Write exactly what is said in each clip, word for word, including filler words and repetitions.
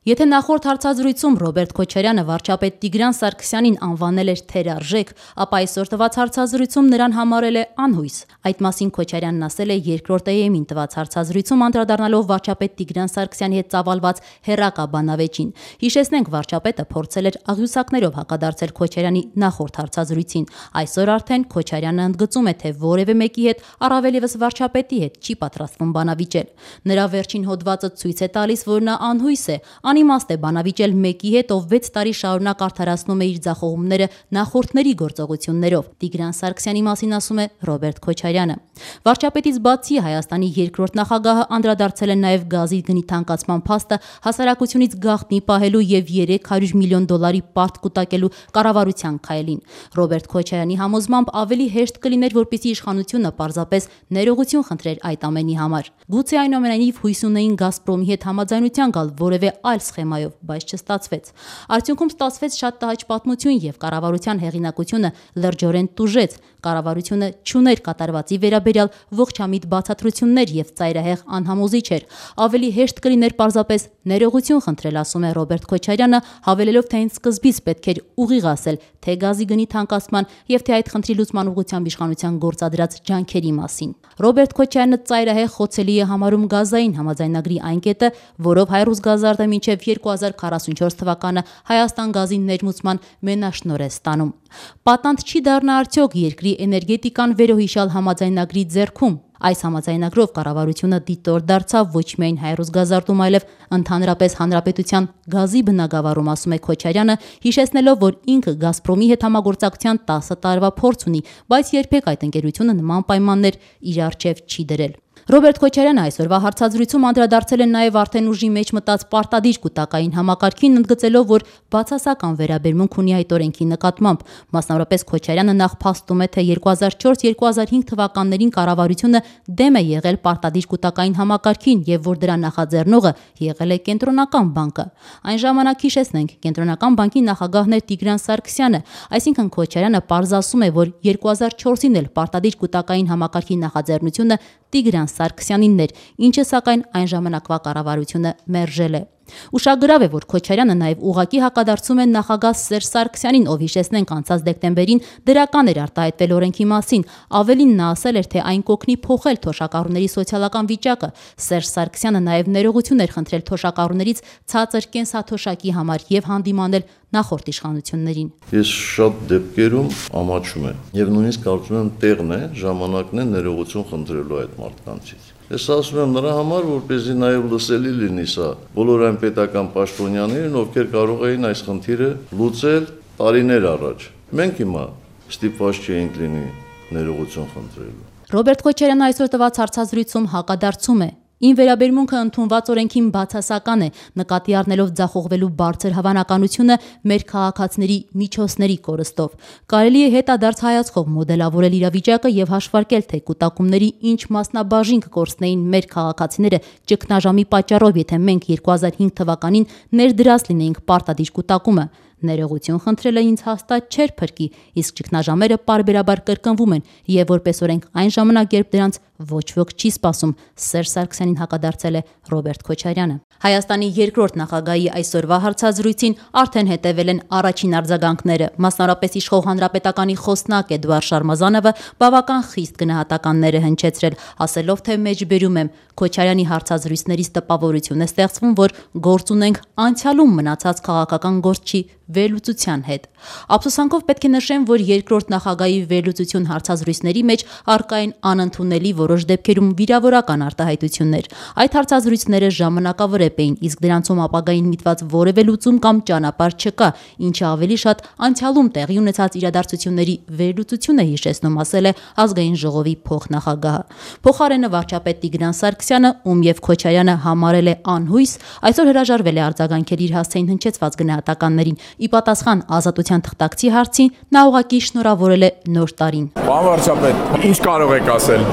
Եթե նախորդ հարցազրույցում Ռոբերտ Քոչարյանը վարչապետ Տիգրան Սարգսյանին անվանել էր թերարժեք, ապա այսօր տված հարցազրույցում նրան համարել է անհույս։ Այդ մասին Քոչարյանն ասել է երկրորդ Է Էմ-ին տված հարցազրույցում անդրադառնալով վարչապետ Տիգրան Սարգսյանի հետ ծավալված հեռակա բանավեճին։ Հիշեցնենք, վարչապետը փորձել էր աղյուսակներով հակադարձել Քոչարյանի նախորդ հարցազրույցին։ Այսօր արդեն Քոչարյանը ընդգծում է, թե որևէ մեկի հետ, առավել ևս վարչապետի հետ, չի պատրաստվում բանավիճել։ Նրա վերջին հոդվածը ցույց է տալիս, որ նա անհույս է, անիմաստ է բանավիճել մեկի հետ, ով վեց տարի շարունակ արդարացնում է իր ձախողումները նախորդների գործողություններով։ Տիգրան Սարգսյանի մասին ասում է Ռոբերտ Քոչարյանը։ Վարչապետից բացի Հայաստանի երկրորդ նախագահը անդրադարձել է նաև գազի գնի թանկացման փաստը հասարակությունից գաղտնի պահելու եւ երեք հարյուր միլիոն դոլարի պարտ կուտակելու կառավարության քայլին։ Ռոբերտ Քոչարյանի համոզմամբ ավելի հեշտ կլիներ, որպեսզի իշխանությունը պարզապես ներողություն խնդրեր այդ ամենի համար։ Գուցե այնուամենայնիվ հույս ունեին Գազպրոմի հետ համաձայնության գալ որևէ այլ սխեմայով, բայց չստացվեց։ Արդյունքում ստացվեց շատ տհաճ պատմություն եւ կառավարության հեղինակությունը լրջորեն տուժեց։ Կառավարությունը չուներ կատարվածի վերաբերյալ ողջամիտ բացատրություններ եւ ծայրահեղ անհամոզիչ էր։ Ավելի հեշտ կլիներ պարզապես ներողություն խնդրել, ասում է Ռոբերտ Քոչարյանը, հավելելով, թե հենց սկզբից պետք էր ուղիղ ասել թե գազի գնի թանկացման եւ թե այդ խնդրի լուծման ուղղությամբ իշխանության գործադրած ջանքերի մասին։ Ռոբերտ Քոչարյանը ծայրահեղ խոցելի է համարում գազային համաձայնագրի այն կետը, որով Հայրուսգազարդը մինչև երկու հազար քառասունչորս թվականը Հայաստան գազի ներմուծման մենաշնորհ է ստանում։ Պատանդ չի դառնա արդյոք երկրի էներգետիկան վերոհիշյալ համաձայնագրի ձեռքում։ Այս համաձայնագրով կառավարությունը դիտոր դարձավ ոչ միայն Հայրուսգազարդում, այլև ընդհանրապես հանրապետության գազի բնագավառում, ասում է Քոչարյանը, հիշեցնելով, որ ինքը Գազպրոմի հետ համագործակցության տասը տարվա փորձ ունի, բայց երբեք այդ ընկերությունը նման պայմաններ իր առջև չի դրել։ Ռոբերտ Քոչարյանը այսօրվա հարցազրույցում անդրադարձել է նաև արդեն ուժի մեջ մտած պարտադիր կուտակային համակարգին, ընդգծելով, որ բացասական վերաբերմունք ունի այդ օրենքի նկատմամբ։ Մասնավորապես Քոչարյանը նախ փաստում է, թե երկու հազար չորս երկու հազար հինգ թվականներին կառավարությունը դեմ է եղել պարտադիր կուտակային համակարգին եւ որ դրա նախաձեռնողը եղել է Կենտրոնական բանկը։ Այն ժամանակ, հիշեցնենք, Կենտրոնական բանկի նախագահն էր Տիգրան Սարգսյանը, այսինքն Քոչարյանը պարզասում է, որ երկու հազար չորսին էլ պարտադիր կուտակային համակարգի նախաձեռնությունը Տիգրան Սարգսյանինն էր, ինչը սակայն այն ժամանակվա կառավարությունը մերժել է։ Ուշագրավ է, որ Քոչարյանը նաև ուղղակի հակադարձում է նախագահ Սերժ Սարգսյանին, ով հիշեցնենք անցած դեկտեմբերին դրական էր արտահայտվել օրենքի մասին։ Ավելին նա ասել էր, թե այն կօգնի փոխել թոշակառուների սոցիալական վիճակը։ Սերժ Սարգսյանը նաև ներողություն էր խնդրել թոշակառուներից ցածր կենսաթոշակի համար եւ հանդիմանել նախորդ իշխանություններին։ Ես շատ դեպքերում ամաչում եմ եւ նույնիսկ կարծում եմ տեղն է, ժամանակն է ներողություն խնդրելու այդ մարդկանցից։ Ես ասում եմ նրա համար, որպեսզի նաև լսելի լինի սա բոլոր այն պետական պաշտոնյաներին, ովքեր կարող էին այս խնդիրը լուծել տարիներ առաջ։ Մենք հիմա ստիպված չենք լինի ներողություն խնդրելու։ Ռոբերտ Քոչարյանը այսօր տված հարցազրույցում հակադարձում է. Ին վերաբերմունքը ընդունված օրենքին բացասական է, նկատի առնելով ձախողվելու բարձր հավանականությունը մեր քաղաքացիների միջոցների կորստով։ Կարելի է հետադարձ հայացքով մոդելավորել իրավիճակը եւ հաշվարկել, թե կուտակումների ինչ մասնաբաժին կկորցնեին մեր քաղաքացիները ճգնաժամի պատճառով, եթե մենք երկու հազար հինգ թվականին ներդրած լինեինք պարտադիր կուտակումը։ Ներողություն խնդրելը ինձ հաստատ չէր փրկի, իսկ ճգնաժամերը պարբերաբար կրկնվում են եւ որպես օրենք այն ժամանակ, երբ դրանց ոչ ոք չի սպասում, Սերժ Սարգսյանին հակադարձել է Ռոբերտ Քոչարյանը։ Հայաստանի երկրորդ նախագահի այսօրվա հարցազրույցին արդեն հետևել են առաջին արձագանքները։ Մասնավորապես իշխող հանրապետականի խոսնակ Էդուարդ Շարմազանովը բավական խիստ գնահատականներ է հնչեցրել, ասելով, թե մեջբերում եմ Քոչարյանի հարցազրույցներից տպավորություն է ստեղծվում, որ գործ ունենք անցյալում մնացած քաղաքական գործչի վերլուծության հետ։ Ափսոսանքով պետք է նշեմ, որ երկրորդ նախագահի վերլուծություն հարցազրույցների մեջ առկա են անընդունելի որոշ դեպքերում վիրավորական արտահայտություններ։ Այդ հարցազրույցները ժամանակավրեպ էին, իսկ դրանցում ապագային միտված որևէ լուծում կամ ճանապարհ չկա, ինչը ավելի շատ անցյալում տեղի ունեցած իրադարձությունների վերլուծություն է հիշեցնում, ասել է Ազգային ժողովի փոխնախագահը։ Փոխարենը վարչապետ Տիգրան Սարգսյանը, ում եւ Քոչարյանը համարել է անհույս, այսօր հրաժարվել է արձագանքել իր հասցեին հնչեցված գնահատականներին։ Ի պատասխան Ազատության թղթակցի հարցին նա ուղղակի շնորհավորել է նոր տարին։ Պարոն վարչապետ, ինչ կարող եք ասել։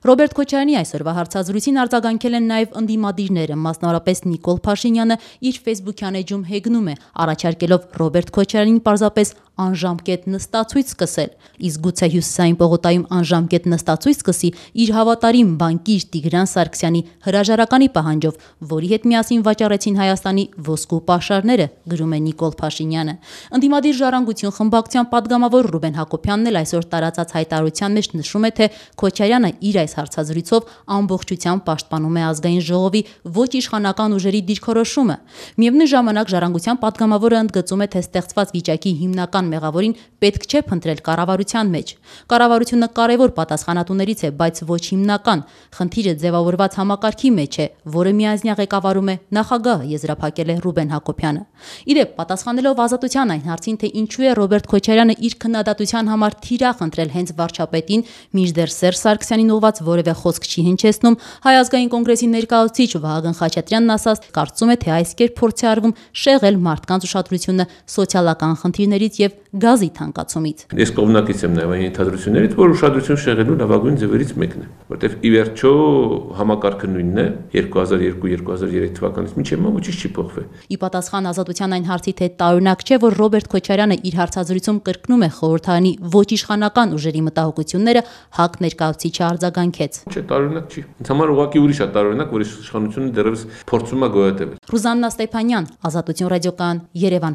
Ռոբերտ Քոչարյանի այսօրվա հարցազրույցին արձագանքել են նաև ընդդիմադիրները, մասնավորապես Նիկոլ Փաշինյանը իր ֆեյսբուքյան էջում հեգնում է, առաջարկելով Ռոբերտ Քոչարյանին պարզապես անժամկետ նստածույց սկսել, իսկ գուցե Հյուսիսային պողոտայում անժամկետ նստածույց սկսի իր հավատարիմ բանկիր Տիգրան Սարգսյանի հրաժարականի պահանջով, որի հետ միասին վաճառեցին Հայաստանի ոսկու պաշարները, գրում է Նիկոլ Փաշինյանը։ Ընդդիմադիր ժառանգություն խմբակցության падգամավոր Ռուբեն Հակոբյանն էլ այսօր տարածած հայտարարության մեջ նշում է, թե Քոչարյանը իր այս հարցազրույցով ամբողջությամբ պաշտպանում է ազգային ժողովի ոչ իշխանական ուժերի դիրքորոշումը։ Միևնույն ժամանակ ժառանգության падգամավորը ընդգծում է, թե ստեղծված վիճակի հիմնական մեղավորին պետք չէ փնտրել կառավարության մեջ։ Կառավարությունը կարևոր պատասխանատուներից է, բայց ոչ հիմնական։ Խնդիրը ձևավորված համակարգի մեջ է, որը միանձնյա ղեկավարում է նախագահը, եզրափակել է Ռուբեն Հակոբյանը։ Իդեպ, պատասխանելով Ազատության այն հարցին, թե ինչու է Ռոբերտ Քոչարյանը իր քննադատության համար թիրախ ընտրել հենց վարչապետին, մինչդեռ Սերժ Սարգսյանին ուղղված որևէ խոսք չի հնչեցնում, Հայ ազգային կոնգրեսի ներկայացուցիչ Վահագն Խաչատրյանն ասաց, կարծում է, թե այս կերպ փորձ է արվում շեղել մարդկանց ուշադրությունը սոցիալական խնդիրներից եւ գազի թանկացումից։ Ես կողմնակից եմ նաեւ այն ենթադրություններից, որ ուշադրություն շեղելու լավագույն ձևերից մեկն է, որտեղ ի վերջո համակարգը նույնն է երկու հազար երկու երկու հազար երեք թվականից մինչև հիմա ոչինչ չի փոխվել։ Ի պատասխան Ազատության այն հարցի, թե տարօրինակ չէ, որ Ռոբերտ Քոչարյանը իր հարցազրույցում կրկնում է խորհրդարանի ոչ իշխանական ուժերի մտահոգությունները, ՀԱԿ ներկայացուցիչը արձագանքեց։ Չէ, տարօրինակ չի։ Ինձ համար ուղղակի ուրիշ է տարօրինակ, որ իշխանությունը դեռևս փորձում է գոյատևել։ Ռուզաննա Ստեփանյան, Ազատություն ռադիոկայան, Երևան։